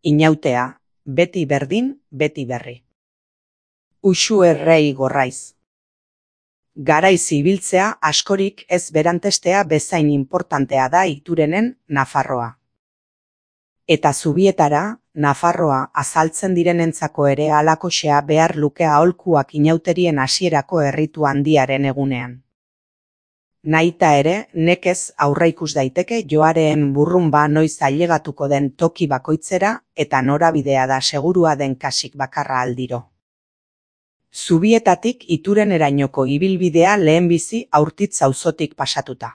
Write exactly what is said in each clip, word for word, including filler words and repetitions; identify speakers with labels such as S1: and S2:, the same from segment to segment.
S1: Inautea, beti berdin, beti berri. Uxu errei gorraiz. Garaiz ibiltzea askorik ez berantestea bezain inportantea da Iturenen Nafarroa. Eta Zubietara, Nafarroa azaltzen direnentzako ere halakoxea behar luke aholkuak inauterien hasierako erritu handiaren egunean. Naita ere, nekez aurreikus daiteke joareen burrunba noiz ailegatuko den toki bakoitzera eta norabidea da segurua den kasik bakarra aldiro. Zubietatik Iturenerainoko ibilbidea lehenbizi Aurtitz auzotik pasatuta.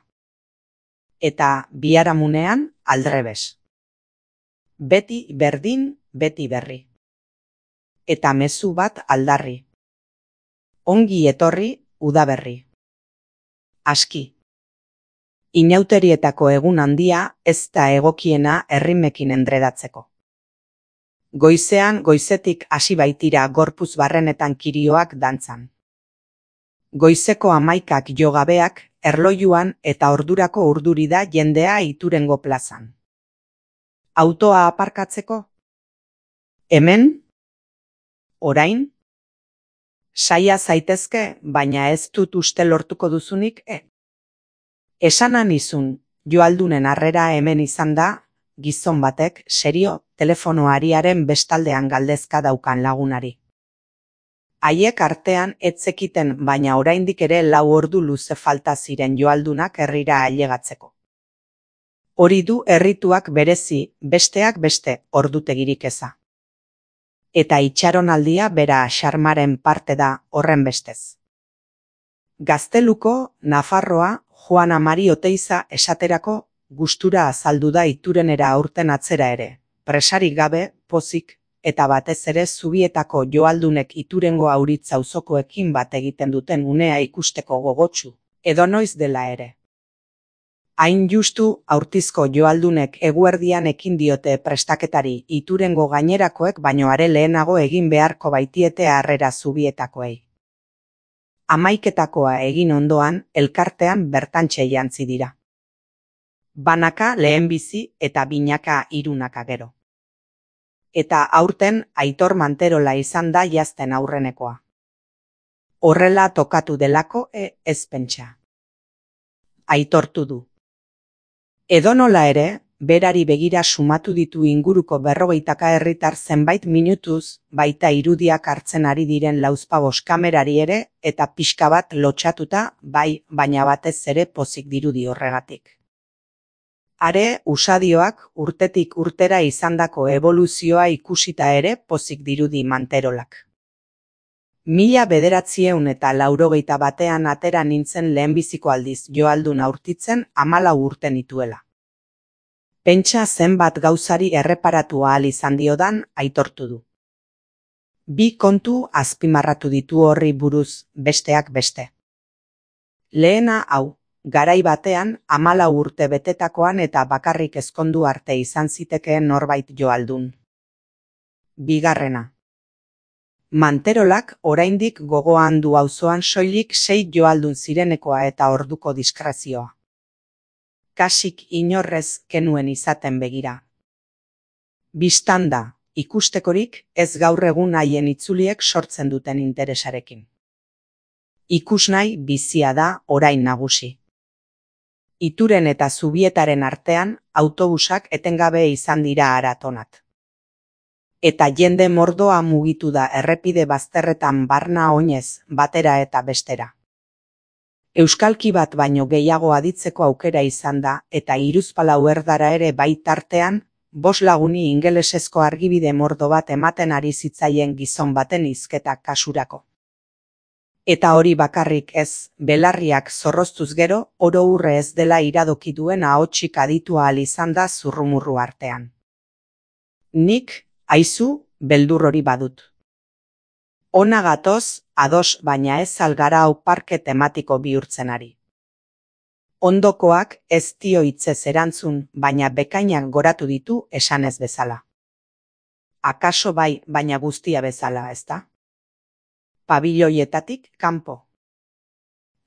S1: Eta Biharamunean aldrebes. Beti berdin, beti berri. Eta mezu bat aldarri. Ongi etorri, udaberri. Aski. Inauterietako egun handia ez da egokiena errimekin endredatzeko. Goizean goizetik hasi baitira gorpuz barrenetan kirioak dantzan. Goizeko hamaikak jo gabeak erlojuan eta ordurako urduri da jendea Iturengo plazan. Autoa aparkatzeko? Hemen? Orain? Saia zaitezke, baina ez dut uste lortuko duzunik, e? Esanan izun, joaldunen harrera hemen izan da, gizon batek, serio, telefonoariaren bestaldean galdezka daukan lagunari. Haiek artean ez zekiten baina oraindik ere lau ordu luze falta ziren joaldunak herrira ailegatzeko. Hori du errituak berezi, besteak beste, ordutegirik eza. Eta itxaronaldia bera xarmaren parte da horren bestez. Gazteluko, Nafarroa, Juana Mari Oteiza esaterako gustura azaldu da Iturenera aurten atzera ere, presarik gabe, pozik, eta batez ere Zubietako joaldunek Iturengo Auritz auzokoekin bat egiten duten unea ikusteko gogotsu, edonoiz dela ere. Hain justu Aurtizko joaldunek eguerdian ekin diote prestaketari Iturengo gainerakoek baino are lehenago egin beharko baitiete harrera Zubietakoei. Hamaiketakoa egin ondoan elkartean bertantxe jantzi dira. Banaka lehenbizi eta binaka hirunaka gero. Eta aurten Aitor Manterola izan da jazten aurrenekoa. Horrela tokatu delako e ez pentsa. Aitortu du. Edonola ere, berari begira sumatu ditu inguruko berrogeitaka herritar zenbait minutuz, baita irudiak hartzen ari diren lauzpabost kamerari ere, eta pixka bat lotxatuta, bai, baina batez ere pozik dirudi horregatik. Are, usadioak urtetik urtera izandako eboluzioa ikusita ere pozik dirudi Manterolak. Mila bederatzieun eta laurogeita batean atera nintzen lehenbiziko aldiz joaldun aurtitzen hamalau urte nituela. Pentsa zenbat gauzari erreparatu ahal izan diodan aitortu du. Bi kontu azpimarratu ditu horri buruz besteak beste. Lehena hau, garai batean hamalau urte betetakoan eta bakarrik ezkondu arte izan zitekeen norbait joaldun. Bigarrena. Manterolak oraindik gogoan du auzoan soilik sei joaldun zirenekoa eta orduko diskrezioa. Kasik inorrez kenuen izaten begira. Bistanda, ikustekorik ez gaur egun haien itzuliek sortzen duten interesarekin. Ikusnahi bizia da orain nagusi. Ituren eta Zubietaren artean autobusak etengabe izan dira aratonat. Eta jende mordoa mugitu da errepide bazterretan barna oinez, batera eta bestera. Euskalki bat baino gehiago aditzeko aukera izan da, eta hiruzpalau erdara ere baitartean, bost laguni ingelesezko argibide mordo bat ematen ari zitzaien gizon baten hizketa kasurako. Eta hori bakarrik ez, belarriak zorroztuz gero, oro urre ez dela iradoki duen ahotsik aditu ahal izan da zurrumurru artean. Nik, aizu, beldur hori badut. Ona gatoz, ados baina ez algara hau parke tematiko bihurtzen ari. Ondokoak ez dio hitzez erantzun, baina bekainak goratu ditu esanez bezala. Akaso bai, baina guztia bezala, ezta? Pabiloietatik kanpo.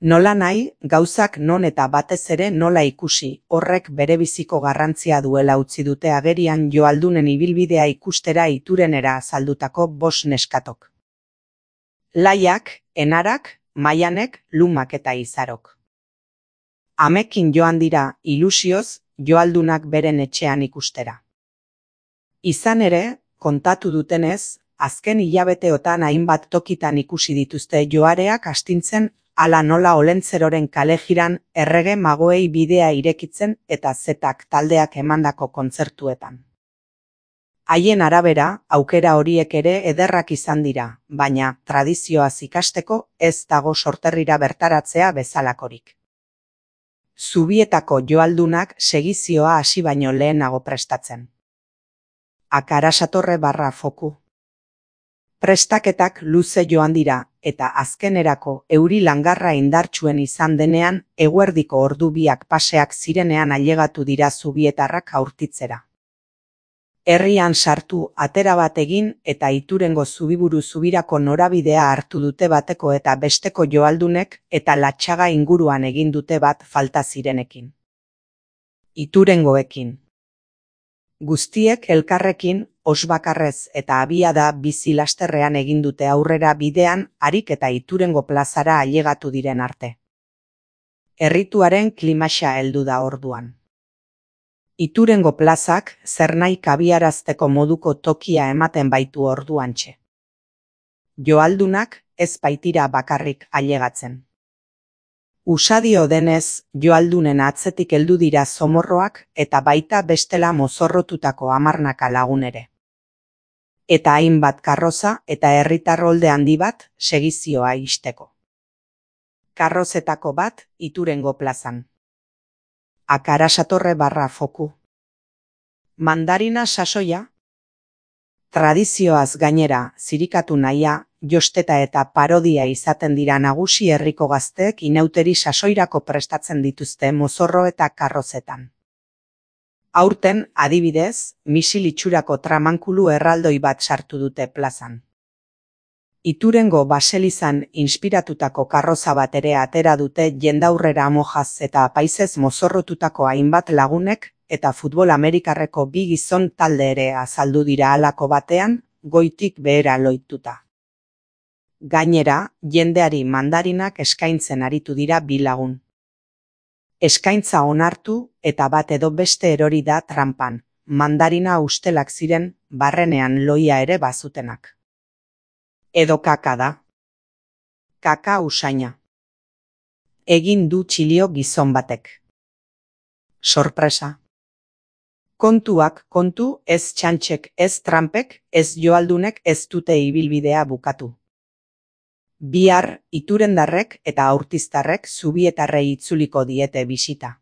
S1: Nola nahi, gauzak non eta batez ere nola ikusi, horrek berebiziko garrantzia duela utzi dute agerian joaldunen ibilbidea ikustera iturenera azaldutako bost neskatok. Laiak, Enarak, Maianek, Lumak eta Izarok. Amekin joan dira, ilusioz, joaldunak beren etxean ikustera. Izan ere, kontatu dutenez, azken hilabeteotan hainbat tokitan ikusi dituzte joareak astintzen, ala nola Olentzeroren kalejiran errege magoei bidea irekitzen eta zetak taldeak emandako kontzertuetan. Haien arabera, aukera horiek ere ederrak izan dira, baina tradizioaz ikasteko ez dago sorterrira bertaratzea bezalakorik. Zubietako joaldunak segizioa hasi baino lehenago prestatzen. Akarasatorre barra foku. Prestaketak luze joan dira, eta azkenerako euri langarra indartsuen izan denean, eguerdiko ordu biak paseak zirenean ailegatu dira zubietarrak aurtitzera. Herrian sartu atera bat egin eta Iturengo zubiburu zubirako norabidea hartu dute bateko eta besteko joaldunek eta Latxaga inguruan egin dute bat falta zirenekin. Iturengoekin. Guztiek elkarrekin, osbakarrez eta abiada bizi lasterrean egin dute aurrera bidean harik eta Iturengo plazara ailegatu diren arte. Errituaren klimaxa heldu da orduan. Iturengo plazak zernahi kabiarazteko moduko tokia ematen baitu orduantxe. Joaldunak ez baitira bakarrik ailegatzen. Usadio denez, joaldunen atzetik heldu dira zomorroak eta baita bestela mozorrotutako hamarnaka lagun ere. Eta hainbat karroza eta herritarrolde handi bat segizioa ixteko. Karrozetako bat Iturengo plazan. Akarasatorre barra foku. Mandarina sasoia. Tradizioaz gainera, zirikatu nahia, josteta eta parodia izaten dira nagusi herriko gazteek inauteri sasoirako prestatzen dituzte mozorro eta karrozetan. Aurten, adibidez, misil itxurako tramankulu erraldoi bat sartu dute plazan. Iturengo baselizan inspiratutako karroza bat ere atera dute jendaurrera mojaz eta apaizez mozorrotutako hainbat lagunek eta futbol amerikarreko bi gizon talde ere azaldu dira halako batean, goitik behera loituta. Gainera, jendeari mandarinak eskaintzen aritu dira bi lagun. Eskaintza onartu eta bat edo beste erori da tranpan, mandarina ustelak ziren barrenean loia ere bazutenak. Edo kaka da. Kaka usaina. Egin du txilio gizon batek. Sorpresa. Kontuak kontu, ez txantxek, ez trampek, ez joaldunek ez dute ibilbidea bukatu. Bihar, iturendarrek eta aurtiztarrek zubietarrei itzuliko diete bisita.